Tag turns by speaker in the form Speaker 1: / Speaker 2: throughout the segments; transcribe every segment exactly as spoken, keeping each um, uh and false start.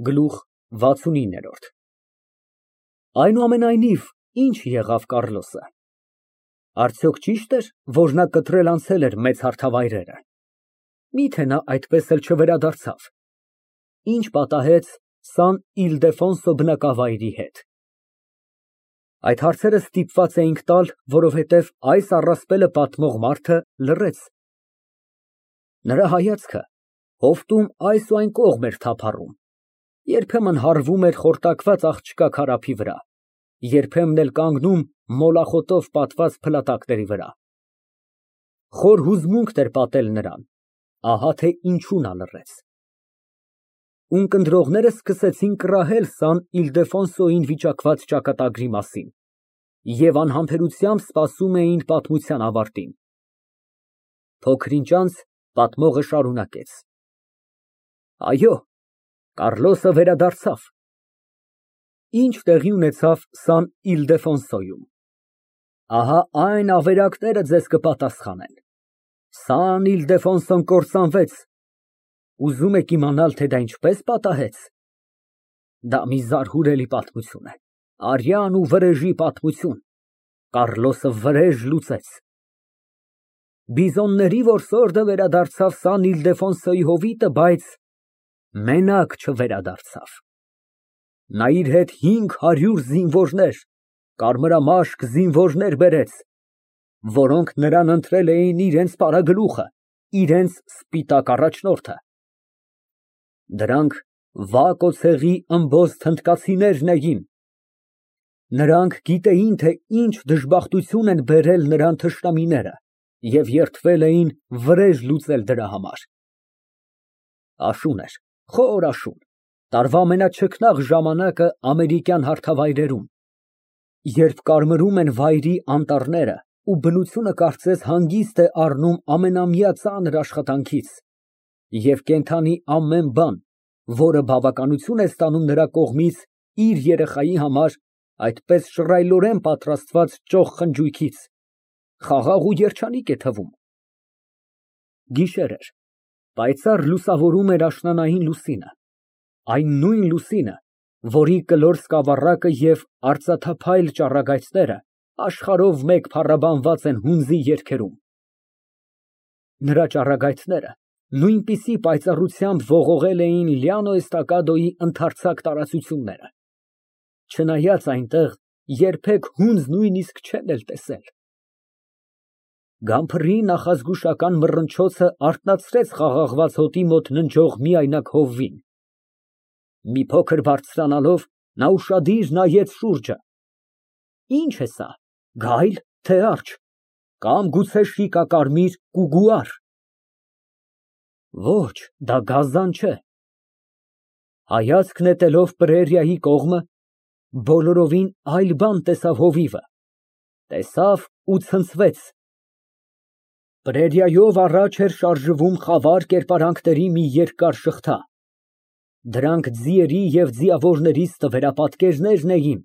Speaker 1: Գլուխ վաթսունինը Այնուամենայնիվ, ի՞նչ եղավ Կառլոսը, արդյոք ճի՞շտ էր, որ նա կտրել անցել էր մեծ հարթավայրերը, մի՞թե նա այդպես էլ չվերադարձավ, ի՞նչ պատահեց Սան Իլդեֆոնսո բնակավայրի հետ։ Այդ հարցերը ստիպված էինք տալ, որովհետև այս առասպելը պատմող մարդը լռեց։ Նրա հայացքը հովտում այս ու այն կողմ էր թափառում, երբեմն հառվում էր խորտակված աղջկա քարափի վրա, երբեմն էլ կանգնում մոլախոտով պատված փլատակների վրա։ Խոր հուզմունքն էր պատել նրան, ահա թե ինչու նա լռեց։ Ունկնդրողները սկսեցին կռահել Սան Իլդեֆոնսոյին վիճակված ճակատագրի մասին և անհամբերությամբ սպասում էին պատմության ավարտին։ Փոքր ինչ անց պատմողը շարունակեց. Այո, Կառլոսը վերադարձավ։ Ինչ տեղի ունեցավ Սան Իլդեֆոնսոյում։ Ահա այն ավերակները ձեզ կպատասխանեն։ Սան Իլդեֆոնսոն կործանվեց։ Ուզում եք իմանալ, թե դա ինչպես պատահեց։ Դա մի զարհուրելի պատմություն է, արյան ու վրեժի պատմություն։ Կառլոսը վրեժ լուծեց։ Բիզոնների որսորդը վերադարձավ Սան Իլդեֆոնսոյի հովիտը, բայց մենակ չվերադարձավ։ Նա իր հետ հինգ հարյուր զինվորներ, կարմրամաշկ զինվորներ բերեց, որոնք նրան ընտրել էին իրենց պարագլուխը, իրենց սպիտակ առաջնորդը։ Դրանք Վակոցեղի ըմբոստ հնդկացիներն էին։ Նրանք գիտեին, թե ինչ դժբախտություն են բերել նրան թշնամիները և երդվել էին վրեժ լուծել դրա համար։ Աշուն էր, խոր աշուն, տարվա ամենաչքնաղ ժամանակը ամերիկյան հարթավայրերում, երբ կարմրում են վայրի անտառները ու բնությունը կարծես հանգիստ է առնում ամենամյա ծանր աշխատանքից, և կենդանի ամեն բան, որը բավականություն է ստանում նրա կողմից իր երեխայի համար, այդպես շռայլորեն պատրաստված ճոխ խնջույքից, խաղաղ ու երջանիկ է թվում։ Գիշեր էր, պայծառ լուսավորում էր աշնանային լուսինը, այն նույն լուսինը, որի կլոր սկավառակը և արծաթափայլ ճառագայթները աշխարհով մեկ փառաբանված են հունձի երգերում։ Նրա ճառագայթները նույնպիսի պայծառությամբ ողողել էին Լիանո Էստակադոյի ընդարձակ տարածությունները, չնայած այնտեղ երբեք հունձ նույնիսկ չեն էլ տեսել։ Գամփրի նախազգուշական մռնչոցը արթնացրեց խաղաղված հոտի մոտ ննջող միայնակ հովվին։ Մի փոքր բարձրանալով, նա ուշադիր նայեց շուրջը։ Ի՞նչ է սա, գայլ, թե արջ, կամ գուցե շիկակարմիր կուգուար։ Ոչ, դա գազան չէ։ Հայացք նետելով պրերիայի կողմը, բոլորովին այլ բան տեսավ հովիվը, տեսավ ու ցնցվեց։ Պրերիայով առաջ էր շարժվում խավար կերպարանքների մի երկար շղթա։ Դրանք ձիերի և ձիավորների ստվերապատկերներն էին։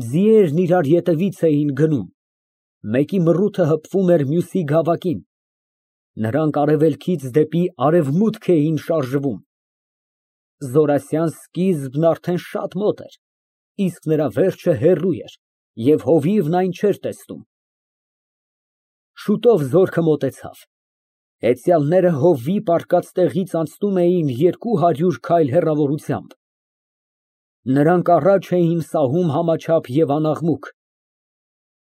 Speaker 1: Ձիերն իրար ետևից էին գնում, մեկի մռութը հպվում էր մյուսի գավակին, նրանք արևելքից դեպի արևմուտք էին շարժվում։ Զորասյան սկիզբն արդեն շատ մոտ էր, իսկ նրա վերջը հեռու էր, և հովիվն այն չէր տեսնում։ Շուտով զորքը մոտեցավ։ Հեծյալները հովվի պառկած տեղից անցնում էին երկու հարյուր քայլ հեռավորությամբ։ Նրանք առաջ էին սահում համաչափ և անաղմուկ։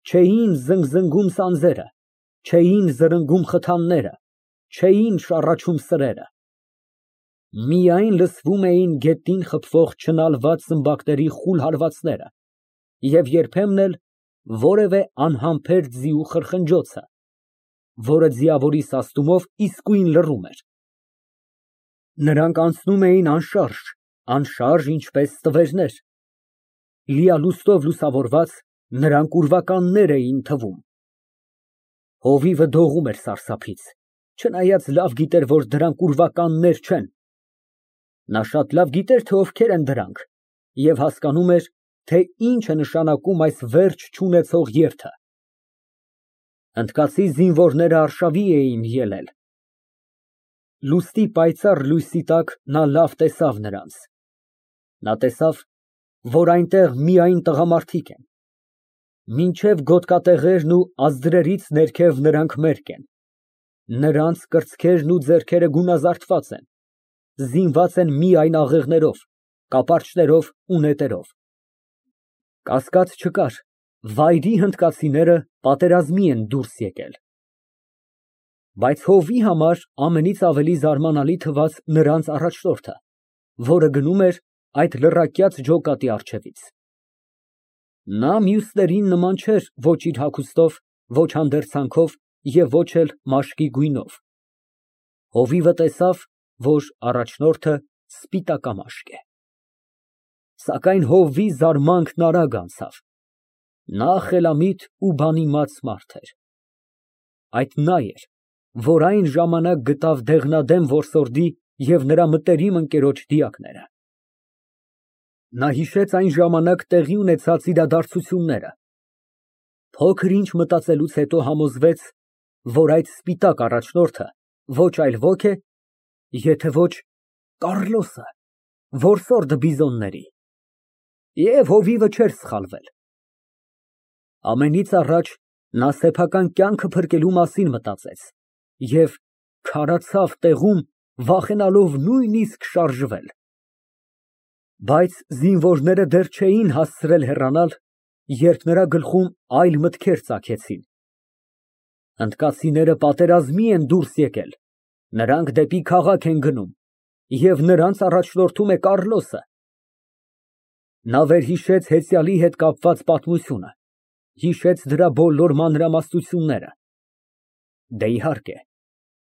Speaker 1: Չէին զնգզնգում սանձերը, չէին զրնգում խթանները, չէին շառաչում սրերը։ Միայն լսվում էին գետնին խփվող չնալված սմբակների խուլ հարվածները և երբեմն էլ որևէ անհամբեր ձիու խրխնջոցը, որը ձիավորի սաստումով իսկույն լռում էր։ Նրանք անցնում էին անշարժ, անշարժ, ինչպես ստվերներ։ Լիալուստով լուսավորված, նրանք ուրվականներ էին թվում։ Հովիվը դողում էր սարսափից, չնայած լավ գիտեր, որ դրանք ուրվականներ չեն։ Նա շատ լավ գիտեր, թե ովքեր են դրանք, և հասկանում էր, թե ինչ է նշանակում այս վերջ չունեցող երթը։ Հնդկացի զինվորները արշավի էին ելել։ Լուստի պայծառ լույսի տակ նա լավ տեսավ նրանց։ Նա տեսավ, որ այնտեղ միայն տղամարդիկ են, մինչև գոտկատեղերն ու ազդրերից ներքև նրանք մերկ են, նրանց կրծքերն ու ձեռքերը գունազարդված են, զինված են միայն աղեղներով, կապարճներով ու նետերով։ Կասկած չկար, վայրի հնդկացիները պատերազմի են դուրս եկել։ Բայց հովվի համար ամենից ավելի զարմանալի թվաց նրանց առաջնորդը, որը գնում էր այդ լռակյաց ջոկատի առջևից։ Նա մյուսներին նման չէր ոչ իր հագուստով, ոչ հանդերձանքով և ոչ էլ մաշկի գույնով։ Հովիվը տեսավ, որ առաջնորդը սպիտակամաշկ է։ Սակայն հովվի զարմանքն արագ անցավ։ Նա խելամիտ ու բանիմաց մարդ էր։ Այդ նա էր, որ այն ժամանակ գտավ դեղնադեմ որսորդի և նրա մտերիմ ընկերոջ դիակները։ Նա հիշեց այն ժամանակ տեղի ունեցած իրադարձությունները, փոքր ինչ մտածելուց հետո համոզվեց, որ այդ սպիտակ առաջնորդը ոչ այլ ոք է, եթե ոչ Կառլոսը, որսորդը բիզոնների։ Եվ հովիվը չէր սխալվել։ Ամենից առաջ նա սեփական կյանքը փրկելու մասին մտածեց և քարացավ տեղում, վախենալով նույնիսկ շարժվել։ Բայց զինվորները դեռ չէին հասցրել հեռանալ, երբ նրա գլխում այլ մտքեր ծագեցին։ Հնդկացիները պատերազմի են դուրս եկել, նրանք դեպի քաղաք են գնում, և նրանց առաջնորդում է Կառլոսը։ Նա վերհիշեց հեծյալի հետ կապված պատմությունը, հիշեց դրա բոլոր մանրամասնությունները։ Դե, իհարկե,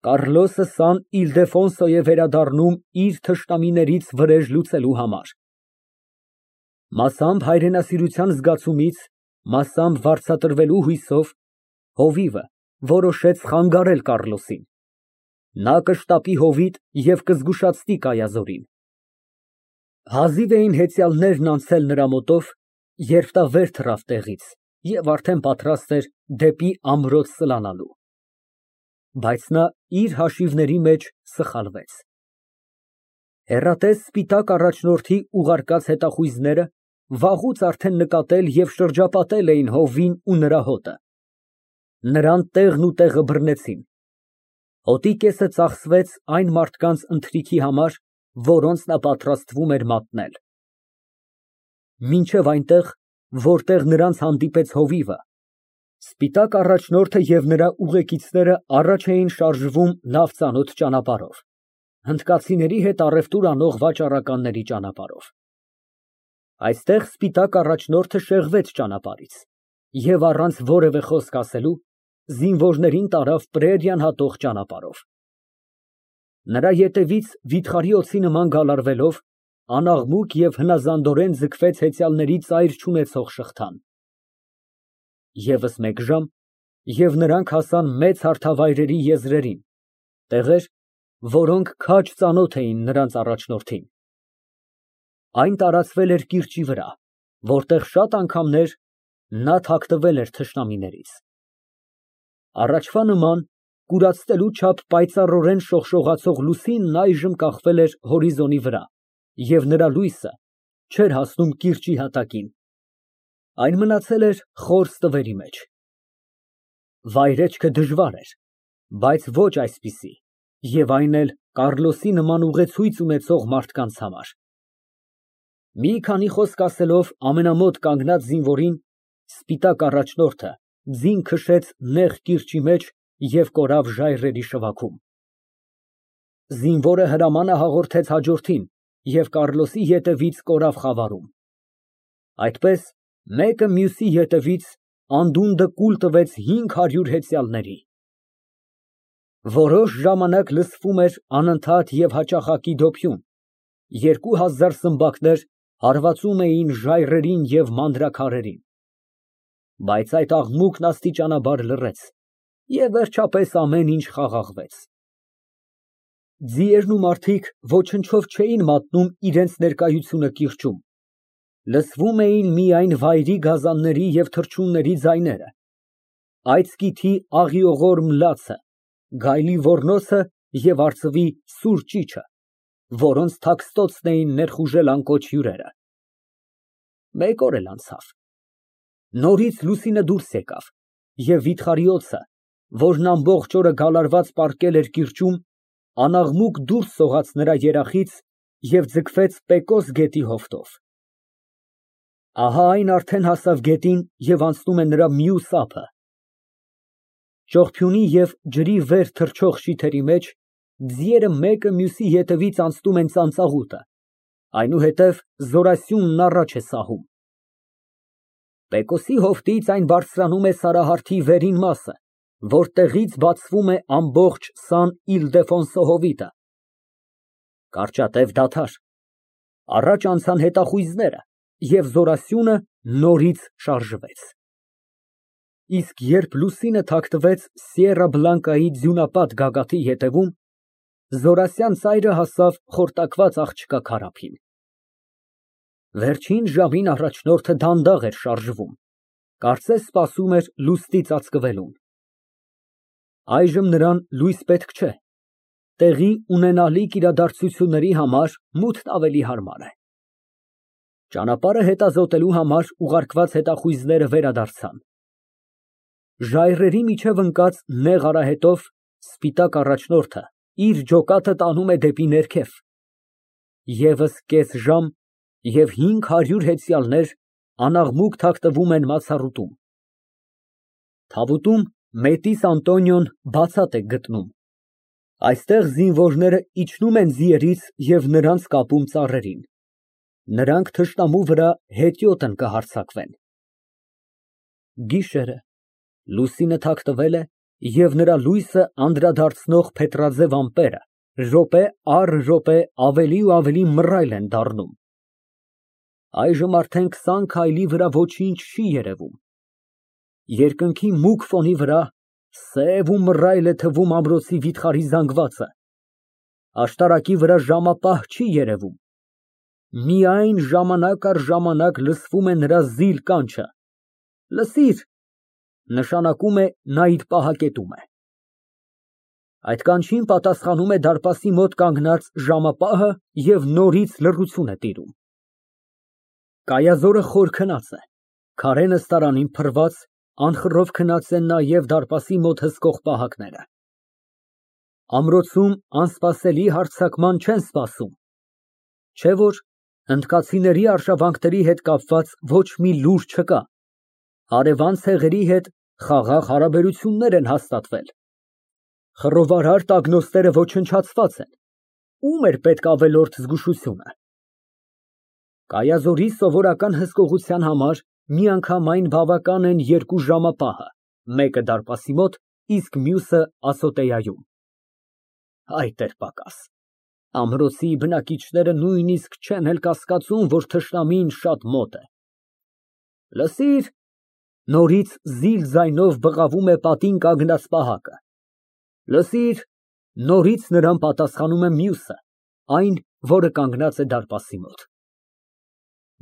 Speaker 1: Կառլոսը Սան Իլդեֆոնսո է վերադառնում իր թշնամիներից վրեժ լուծելու համար։ Մասամբ հայրենասիրության զգացումից, մասամբ վարձատրվելու հույսով, հովիվը որոշեց խանգարել Կառլոսին։ Նա կշտապի հովիտ և կզգուշացնի Կայազորին։ Հազիվ էին հեծյալներն անցել նրա մոտով, երբ նա վեր թռավ տեղից և արդեն պատրաստ էր դեպի ամրոց սլանալու։ Բայց նա իր հաշիվների մեջ սխալվեց։ Հեռատես սպիտակ առաջնորդի ուղարկած հետախույզները վաղուց արդեն նկատել և շրջապատել էին հովին ու նրա հոտը։ Նրան տեղն ու տեղը բռնեցին։ Հոտի կեսը ծախսվեց այն մարդկանց ընթրիքի համար, որոնց նա պատրաստվում էր մատնել։ Մինչև այնտեղ, որտեղ նրանց հանդիպեց հովիվը, սպիտակ առաջնորդը և նրա ուղեկիցները առաջ էին շարժվում լավ ծանոթ ճանապարհով, հնդկացիների հետ առևտուր անող վաճառականների ճանապարհով։ Այստեղ սպիտակ առաջնորդը շեղվեց ճանապարհից և առանց որևէ խոսք ասելու զինվորներին տարավ պրերիան հատող ճանապարհով։ Նրա ետևից վիթխարի օձի նման գալարվելով, անաղմուկ և հնազանդորեն ձգվեց հեծյալների ծայր չունեցող շղթան։ ԵՒս մեկ ժամ, և նրանք հասան մեծ հարթավայրերի եզրերին, տեղեր, որոնք քաջ ծանոթ էին նրանց առաջնորդին։ Այն տարածվել էր կիրճի վրա, որտեղ շատ անգամներ նա թաքնվել էր թշնամիներից։ Առաջվա նման, կուրացնելու չափ պայծառորեն շողշողացող լուսինն այժմ կախվել էր հորիզոնի վրա և նրա լույսը չէր հասնում կիրճի հատակին, այն մնացել էր խոր ստվերի մեջ։ Վայրեջքը դժվար էր, բայց ոչ այսպիսի, և այն էլ Կառլոսի նման ուղեցույց ունեցող մարդկանց համար։ Մի քանի խոսք ասելով ամենամոտ կանգնած զինվորին, սպիտակ առաջնորդը ձին քշեց նեղ կիրճի մեջ և կորավ ժայռերի շվաքում։ Զինվորը հրամանը հաղորդեց հաջորդին և Կառլոսի ետևից կորավ խավարում։ Այդպես, մեկը մյուսի ետևից, անդունդը կուլ տվեց հինգ հարյուր հեծյալների։ Որոշ ժամանակ լսվում էր անընդհատ և հաճախակի դոփյուն, երկու հազար սմբակներ հարվածում էին ժայռերին և մանրաքարերին։ Բայց այդ աղմուկն աստիճանաբար լռեց, և վերջապես ամեն ինչ խաղաղվեց։ Ձիերն ու մարդիկ ոչնչով չէին մատնում իրենց ներկայությունը կիրճում, լսվում էին միայն վայրի գազանների և թռչունների ձայները, այծկիթի աղիողոր մլացը, գայլի ոռնոցը և արծվի սուր ճիչը։ որոնց թաքստոցն էին ներխուժել անկոչ հյուրերը։ Մեկ օր էլ անցավ։ Նորից լուսինը դուրս եկավ, և վիթխարի օձը, որն ամբողջ օրը գալարված պառկել էր կիրճում, անաղմուկ դուրս սողաց նրա երախից և ձգվեց Պեկոս գետի հովտով։ Ահա այն արդեն հասավ գետին և անցնում է նրա մյուս ափը։ Ճողփյունի և ջրի վեր թռչող շիթերի մեջ ձիերը մեկը մյուսի ետևից անցնում են ծանծաղուտը, այնուհետև զորասյունն առաջ է սահում։ Պեկոսի հովտից այն բարձրանում է Սարահարթի վերին մասը, որտեղից բացվում է ամբողջ Սան Իլդեֆոնսո հովիտը։ Կարճատև դադար, առաջ անցան հետախույզները, և զորասյունը նորից շարժվեց։ Իսկ երբ լուսինը թաքնվեց Սիերա Բլանկայի ձյունապատ գագաթի ետևում, զորասյան ծայրը հասավ խորտակված աղջկա քարափին։ Վերջին ժամին առաջնորդը դանդաղ էր շարժվում, կարծես սպասում էր լուստի ծածկվելուն։ Այժմ նրան լույս պետք չէ, տեղի ունենալիք իրադարձությունների համար մութն ավելի հարմար է։ Ճանապարհը հետազոտելու համար ուղարկված հետախույզները վերադարձան։ Ժայռերի միջև ընկած նեղ արահետով սպիտակ առաջնորդը իր ջոկատը տանում է դեպի ներքև։ Եվս կես ժամ, և հինգ հարյուր հեծյալներ անաղմուկ թաքնվում են մացառուտում։ Թավուտում Մետիս Անտոնիոն բացատ է գտնում։ Այստեղ զինվորները իջնում են ձիերից և նրանց կապում ծառերին։ Նրանք թշնամու վրա հետիոտ են կհարձակվեն։ Գիշեր է, լուսինը թաքնվել է, և նրա լույսը անդրադարձնող փետրաձև ամպերը րոպե առ րոպե ավելի ու ավելի մռայլ են դառնում։ Այժմ արդեն քսան քայլի վրա ոչինչ չի երևում։ Երկնքի մուգ ֆոնի վրա սև ու մռայլ է թվում ամրոցի վիթխարի զանգվածը։ Աշտարակի վրա ժամապահ չի երևում։ Միայն ժամանակ առ ժամանակ լսվում է նրա զիլ կանչը. «Լսիր», նշանակում է նա իր պահակետում է։ Այդ կանչին պատասխանում է դարպասի մոտ կանգնած ժամապահը և նորից լռություն է տիրում։ Կայազորը խոր քնած է, քարե նստարանին փռված, անխռով քնած են նաև դարպասի մոտ հսկող պահակները։ Ամրոցում անսպասելի հարձակման չեն սպասում, չէ՞ որ հնդկացիների արշավանքների հետ կապված ոչ մի լուր չկա, հարևան ցեղերի հետ խաղաղ հարաբերություններ են հաստատվել։ Խռովարար տագնոստները ոչնչացված են, ո՞ւմ էր պետք ավելորդ զգուշությունը։ Կայազորի սովորական հսկողության համար միանգամայն բավական են երկու ժամապահը, մեկը դարպասի մոտ, իսկ մյուսը ասոտեայում։ Այդ էր պակաս, ամրոցի բնակիչները նույնիսկ չեն էլ կասկածում, որ թշնամին շատ մոտ է։ Լսիր, նորից զիլ ձայնով բղավում է պատին կանգնած պահակը։ Լսիր, նորից նրան պատասխանում է մյուսը, այն, որը կանգնած է դարպասի մոտ։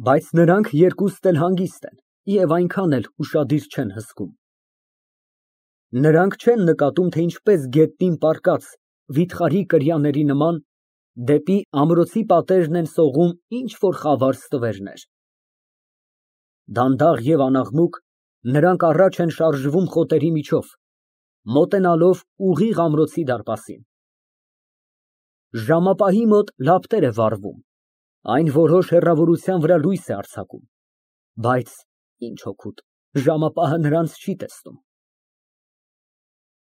Speaker 1: Բայց նրանք երկուստ էլ հանգիստ են և այնքան էլ ուշադիր չեն հսկում։ Նրանք չեն նկատում, թե ինչպես գետնին պառկած վիթխարի կրյաների նման դեպի ամրոցի պատերն են սողում ինչ֊որ խավար ստվերներ։ Դանդաղ և անաղմուկ նրանք առաջ են շարժվում խոտերի միջով, մոտենալով ուղիղ ամրոցի դարպասին։ Ժամապահի մոտ լապտեր է վառվում, այն որոշ հեռավորության վրա լույս է արձակում, բայց ինչ օգուտ, ժամապահը նրանց չի տեսնում։